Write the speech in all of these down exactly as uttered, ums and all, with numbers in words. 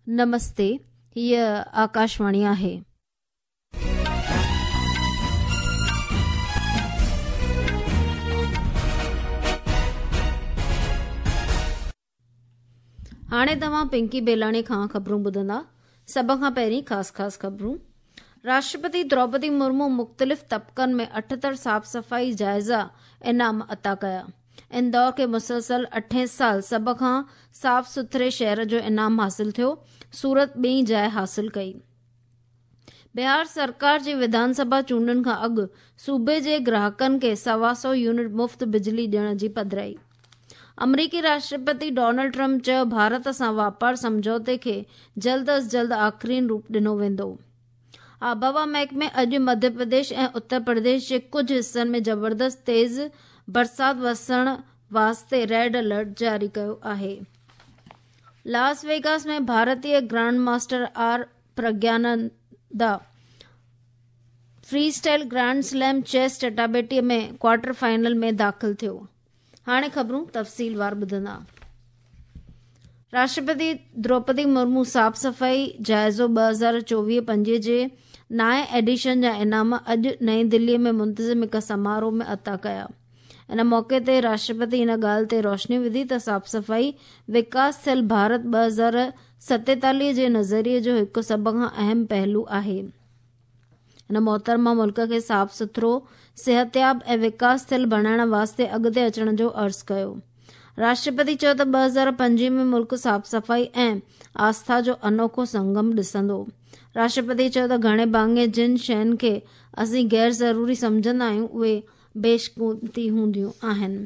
नमस्ते, हीअ आकाशवाणी आहे। हाणे तव्हां पिंकी बेलाणी खां ख़बरूं ॿुधंदा। सभ खां पहिरीं ख़ासि ख़ासि ख़बरूं। राष्ट्रपति द्रौपदी मुर्मू मुख़्तलिफ़ तबक़नि में अठहतरि साफ़ सफ़ाई जाइज़ा इनाम अता कया। इंदौर खे मुसलसल अठें साल सभ खां साफ़ सुथरे शहर जो इनाम हासिल थियो। सूरत ॿी जाइ हासिल कई। बिहार सरकार जी विधानसभा चूंडनि खां अॻु सूबे जे ग्राहकनि खे सवा सौ यूनिट मुफ़्त बिजली ॾियण जी पधराई। अमरीकी राष्ट्रपति डोनाल्ड ट्रंप चयो भारत सां वापार सम्झौते खे जल्द अज़ जल्द आख़िरीन रूप ॾिनो वेंदो। आबहवा महकमे अॼु मध्य प्रदेश ऐं उत्तर प्रदेश जे कुझु हिसनि में ज़बरदस्त तेज़ बरसात वसण वास्ते रेड अलर्ट जारी कयो आहे। लास वेगास में भारतीय grand master R Praggnanandhaa freestyle grand slam chess चटाबेटीअ में क्वार्टर फाइनल में दाख़िल थियो। हाणे ख़बरूं तफ़सीलवार ॿुधंदा। राष्ट्रपति द्रौपदी मुर्मू साफ़ सफ़ाई जाइज़ो ॿ हज़ार चोवीह पंजवीह जे नाए एडिशन जा इनाम अॼु नई दिल्लीअ में मुंतज़िम हिकु समारोह में अता कया। इन मौक़े ते राष्ट्रपति इन ॻाल्हि ते रोशनी विधी त साफ़ सफ़ाई विकास थियल भारत ॿ हज़ार सतेतालीह जे नज़रिए जो हिकु सभ खां अहम पहलू आहे। हिन मोहतरमा मुल्क खे साफ़ सुथरो, सिहतयाब ऐं विकास थियल बणाइण वास्ते अॻिते अचण जो अर्ज़ु कयो। राष्ट्रपति चयो त ॿ हज़ार पंजवीह में मुल्क साफ़ सफ़ाई ऐं आस्था जो अनोखो संगम ॾिसंदो। राष्ट्रपति चयो त घणे भाङे जिन शयुनि खे असीं गैर ज़रूरी सम्झंदा आहियूं उहे बेशक़ीमती हूंदियूं आहिनि।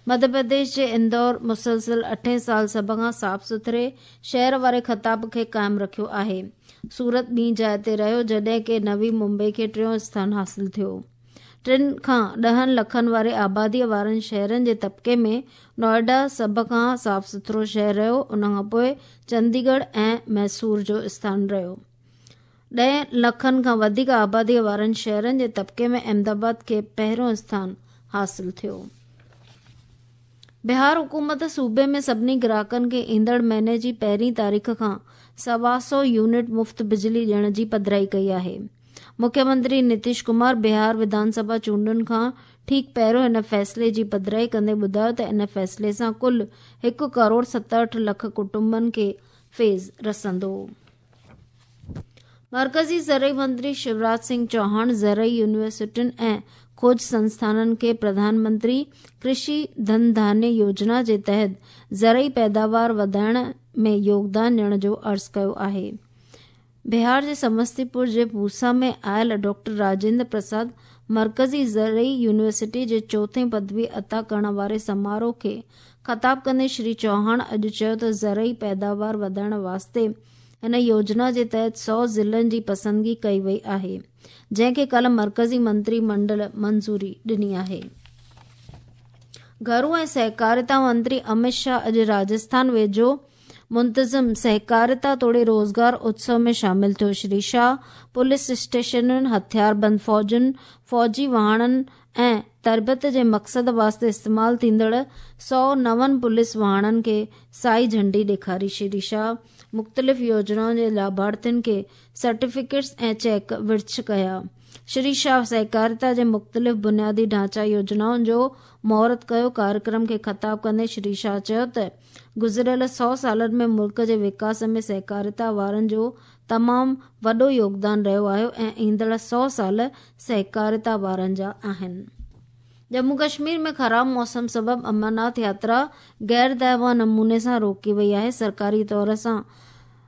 मध्य प्रदेश जे इंदौर मुसलसल अठें साल सभ खां साफ़ सुथरे शहर वारे ख़िताब खे क़ाइमु रखियो आहे। सूरत ॿी जाइ ते रहियो, जॾहिं की नवी मुंबई खे टियों स्थान हासिल थियो। टिनि खां ॾहनि लखनि वारे आबादीअ वारनि शहरनि जे तबक़े में नोएडा सभ खां साफ़ सुथरो शहर रहियो। उन खां पोइ चंडीगढ़ ऐं मैसूर जो स्थान रहियो। ॾह लखनि खां वधीक आबादीअ वारनि शहरनि जे तबक़े में अहमदाबाद खे पहिरियों स्थान हासिल थियो। बिहार हुकूमत सूबे में सभिनी ग्राहकनि खे ईंदड़ महीने जी पहिरीं तारीख़ खां सवा सौ यूनिट मुफ़्त बिजली ॾियण जी पधराई कई आहे। मुख्यमंत्री नीतीश कुमार बिहार विधानसभा चूंडुनि खां ठीक पहिरियों हिन फ़ैसिले जी पधराई कंदे ॿुधायो त इन फ़ैसिले सां कुल हिकु करोड़ सतहठि लख कुटुंबनि खे फैज़ रसंदो। मरकज़ी ज़रई मंत्री शिवराज सिंह चौहान ज़रई यूनिवर्सिटियुनि ऐं खोज संस्थाननि खे प्रधानमंत्री कृषि धन धान्य योजना जे तहत ज़रई पैदावार वधाइण में योगदान ॾियण जो अर्ज़ु कयो आहे। बिहार जे समस्तीपुर जे पूसा में आयल डॉक्टर राजेंद्र प्रसाद मरकज़ी ज़रई यूनिवर्सिटी जे चोथें पदवी अता करण वारे समारोह खे ख़िताब कंदे श्री चौहान अॼु चयो त ज़रई पैदावार वधाइण वास्ते हिन योजना जे तहत सौ ज़िलनि जी पसंदगी कई वई आहे, जंहिंखे कल्ह मरकज़ी मंत्री मंडल मंज़ूरी ॾिनी आहे। घरू ऐं सहकारिता मंत्री अमित शाह अॼु राजस्थान वेझो मुंतज़िम सहकारिता तोड़े रोज़गार उत्सव में शामिल थियो। श्री शाह पुलिस स्टेशनुनि, हथियारबंद फ़ौजुनि, फ़ौजी वाहणनि ऐं तरबियत जे मक़सद वास्ते इस्तेमाल थींदड़ सौ नवनि पुलिस वाहणनि खे साई झंडी ॾेखारी। श्री शाह मुख़्तलिफ़ योजनाउनि जे लाभार्थियुनि खे सर्टिफिकेट्स ऐं चेक विर्छ कया। श्री शाह सहकारिता जे मुख़्तलिफ़ बुनियादी ढांचा योजनाउनि जो मुहूर्त कयो। कार्यक्रम खे ख़िताब कंदे श्री शाह चयो त गुज़िरियल सौ सालनि में मुल्क जे विकास में सहकारिता वारनि जो तमामु वॾो योगदान रहियो आहे ऐं ईंदड़ सौ साल सहकारिता वारनि जा आहिनि। जम्मू कश्मीर में ख़राब मौसम सबबि अमरनाथ यात्रा गैर दायवा नमूने सां रोकी वई आहे। सरकारी तौर सां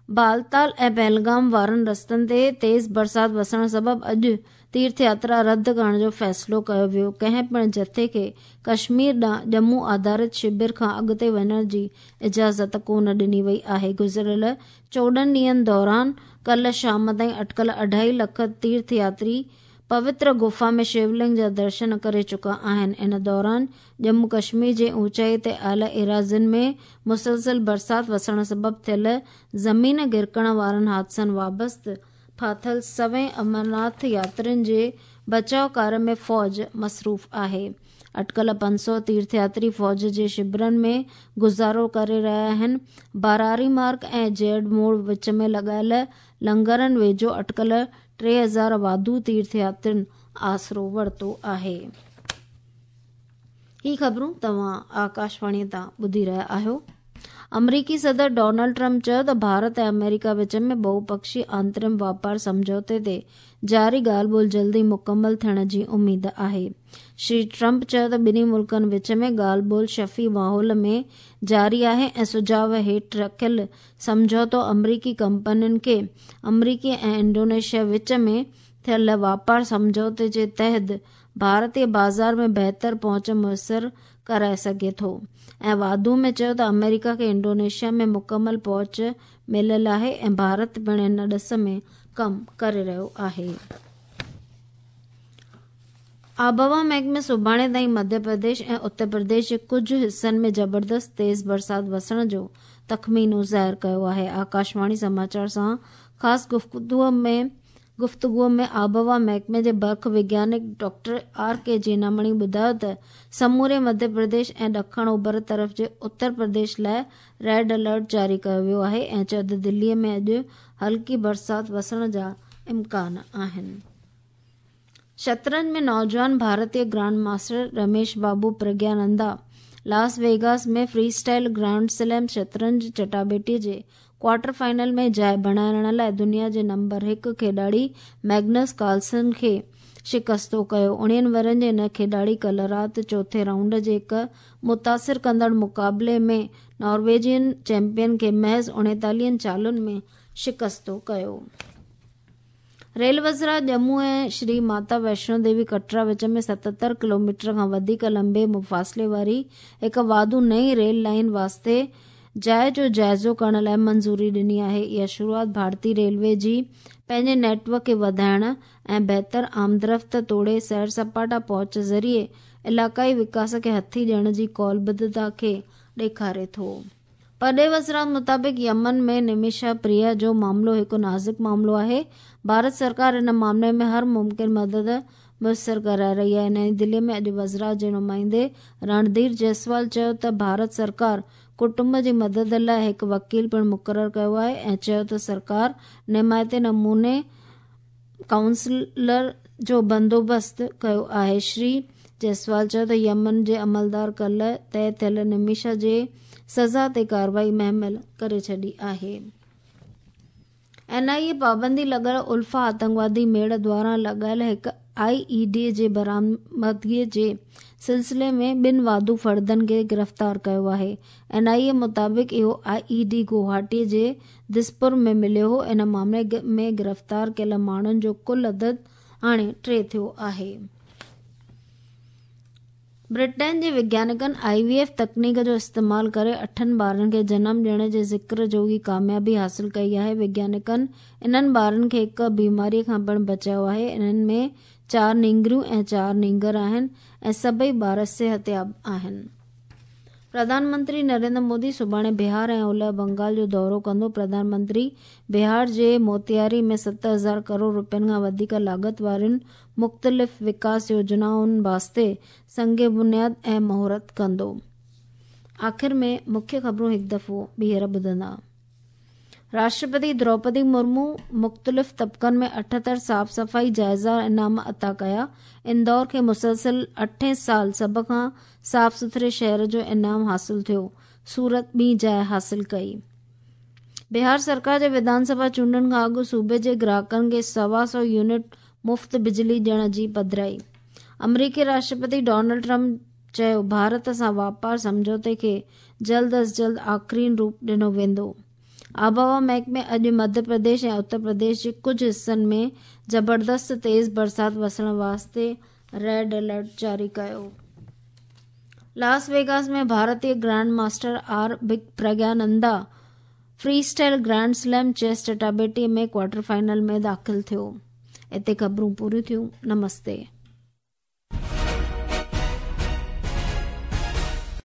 बालताल ऐं पहलगाम वारनि रस्तनि ते तेज़ बरसात वसण सबबि अॼु तीर्थ यात्रा रद्द करण जो फ़ैसिलो कयो वियो। कंहिं पिणु जथे खे कश्मीर ॾांहुं जम्मू आधारित शिविर खां अॻिते वञण जी इजाज़त कोन ॾिनी वई आहे। गुज़िरियल चोॾहं ॾींहंनि दौरान कल्ह शाम ताईं अटकल अढाई लख तीर्थ यात्री पवित्र गुफा में शिवलिंग जा दर्शन करे चुका आहिनि। इन दौरान जम्मू कश्मीर जे ऊंचाई ते आयल एराज़ियुनि में मुसलसल बरसात वसण सबबि थियल ज़मीन गिरकण वारनि हादसनि वाबस्ते फाथल सवें अमरनाथ यात्रियुनि जे बचाव कार्य में फ़ौज मसरूफ़ आहे। اٽڪل پنج سؤ تيرٿياتري فوج جي شبرن ۾ گذارو ڪري رهيا آهن. باراري مارگ ۽ جيڊ موڙ وچ ۾ لڳايل لنگرن ويجهو اٽڪل ٽي هزار واڌو تيرٿياترين آسرو ورتو آهي. هي خبرون توهان آڪاشواڻي تان ٻڌي رهيا آهيو. آمريڪي صدر ڊونلڊ ٽرمپ چيو ته ڀارت ۽ آمريڪا وچ ۾ ٻهپڪشي آنترم واپار سمجهوتي تي جاري ڳالهه ٻولهه جلد ئي مڪمل ٿيڻ جي اميد آهي. شري ٽرمپ چيو ته ٻنهي ملڪن وچ ۾ ڳالهه ٻولهه شفي ماحول ۾ جاري آهي ۽ سجهاءُ هيٺ رکيل سمجهوتو آمريڪي ڪمپنين کي آمريڪي ۽ انڊونيشيا وچ ۾ ٿيل واپار سمجهوتي جي تحت ڀارتي بازار ۾ بهتر پهچ ميسر ڪرائي سگهي ٿو ۽ واڌو ۾ چيو ته آمريڪا کي انڊونيشيا ۾ مڪمل پهچ مليل آهي ۽ ڀارت پڻ ان ڏس ۾ ڪم ڪري رهيو آهي. آبهوا محڪمي سڀاڻي تائين مڌيه پرديش ۽ اتر پرديش جي ڪجهه حصن ۾ زبردست تيز برسات وسڻ جو تخمينو ظاهر ڪيو آهي. آڪاشواڻي سماچار سان خاص گفتگو ۾ گفتگو ۾ آبهوا محڪمي جي برک وگيانڪ ڊاڪٽر آر ڪي جينامڻي ٻڌايو ته سموري مڌيه پرديش ۽ ڏکڻ اوڀر طرف جي اتر پرديش لاءِ ريڊ الرٽ جاري ڪيو ويو آهي ۽ چيو ته دلي ۾ اڄ هلڪي برسات وسڻ جا امڪان آهن. شطرنج ۾ نوجوان ڀارتي grand master Ramesh Babu Praggnanandhaa Las Vegas ۾ freestyle grand slam شطرنج چٽاڀيٽي جي ڪوارٽر فائنل ۾ جاءِ بڻائڻ لاءِ دنيا جي نمبر هڪ کيڏاڙي ميگنس ڪارلسن کي شڪستو ڪيو. اڻويهن ورهين جي هن کيڏاڙي ڪالهه رات چوٿين رائونڊ جي هڪ متاثر ڪندڙ مقابلي ۾ نارويجين چيمپيئن کي محض اڻيتاليهن چالن ۾ شڪستو ڪيو. ريل وزرا ڄمون ۽ شري ماتا ويشنو ديوي ڪٽرا وچ ۾ ستهتر ڪلوميٽر کان وڌيڪ لمبي مفاصلي واري هڪ واڌو نئين ريل لائن واسطي جاءِ جو جائزو ڪرڻ لاءِ منظوري ڏني آهي. اها شروعات ڀارتي ريلوي جي پنهنجي نيٽ ورڪ کي وڌائڻ ۽ بهتر آمدرفت توڙي سير سپاٽا پهچ ذريعي علائقائي وڪاس کي هٿي ڏيڻ جي قولبڌتا کي ڏيکاري ٿو. پرڏيهي وزارت مطابق يمن ۾ نميشا پريا جو معاملو هڪ نازڪ معاملو آهي. ڀارت سرڪار ان معاملي ۾ هر ممڪن مدد ميسر ڪرائي رهي آهي. نئين دلي ۾ اڄ وزارت جي نمائندي رڻڌير جئسوال چيو ته ڀارت سرڪار ڪٽنب جي مدد لاءِ هڪ وڪيل پڻ مقرر ڪيو آهي ۽ چيو ته سرڪار نمائتي نموني ڪائونسلر جو بندوبست ڪيو آهي. شري جئسوال چيو ته يمن جي عملدار ڪالهه طئي ٿيل نميشا جي سزا تي ڪارروائي مهمل ڪري ڇڏي آهي. اين آءِ اي پابندي لڳل الفا آتنڪوادي ميڙ دواران لڳايل هڪ آئي اي ڊي جي برآمدگي جي سلسلي ۾ ٻن واڌو فردن کي گرفتار ڪيو آهي. اين آءِ اي مطابق اهو آئي اي ڊي گوهاٽي جي دسپور ۾ مليو هو. ان معاملي ۾ گرفتار ڪيل ماڻهن جو ڪل عدد هاڻي ٽي ٿيو آهي. برٽين جي وگيانڪن آئي وي ايف تڪنيڪ جو استعمال ڪري اٺن ٻارن کي جنم ڏيڻ جي ذڪر جوڳي ڪاميابي حاصل ڪئي آهي. وگيانڪن انهن ٻارن کي هڪ بيماري کان پڻ بچايو آهي. انهن ۾ چار نينگريون ۽ چار نينگر آهن ۽ سڀئي ٻار صحتياب آهن. پرڌان منتري نريندر مودي سڀاڻي بهار ۽ اولهه بنگال جو دورو ڪندو. پرڌان منتري بهار جي موتياري ۾ ست هزار ڪروڙ رپين کان وڌيڪ لاڳت وارين مختلف وڪاس يوجنائن واسطي سنگ بنياد ۽ مهورت ڪندو. آخر ۾ مکيه خبرون هڪ دفعو ٻيهر ٻڌندا. راشٽرپتي دروپدي مرمو مختلف طبقن ۾ اٺهتر صاف صفائي جائزا انعام عطا ڪيا. اندور کي مسلسل اٺين سال سڀ کان صاف سٿري شهر جو انعام حاصل ٿيو. سورت ٻي جاءِ حاصل ڪئي. بهار سرڪار جي وڌان سڀا چونڊن کان اڳ صوبي جي گراهڪن کي سوا سؤ يونٽ مفت بجلي ڏيڻ جي پڌرائي. آمريڪي راشٽرپتي ڊونلڊ ٽرمپ چيو ڀارت سان واپار سمجهوتي کي جلد از جلد آخرين روپ ڏنو ويندو. آبهوا محڪمي اڄ مڌيه پرديش ۽ اتر پرديش جي ڪجهه حصن ۾ زبردست تيز برسات وسڻ واسطي ريڊ الرٽ جاري ڪيو. لاس ويگاس ۾ ڀارتي grand master R Praggnanandhaa freestyle grand slam chess چٽاڀيٽي ۾ ڪوارٽر فائنل ۾ داخل ٿيو. هتي خبرون پوريون ٿيون. نمستي.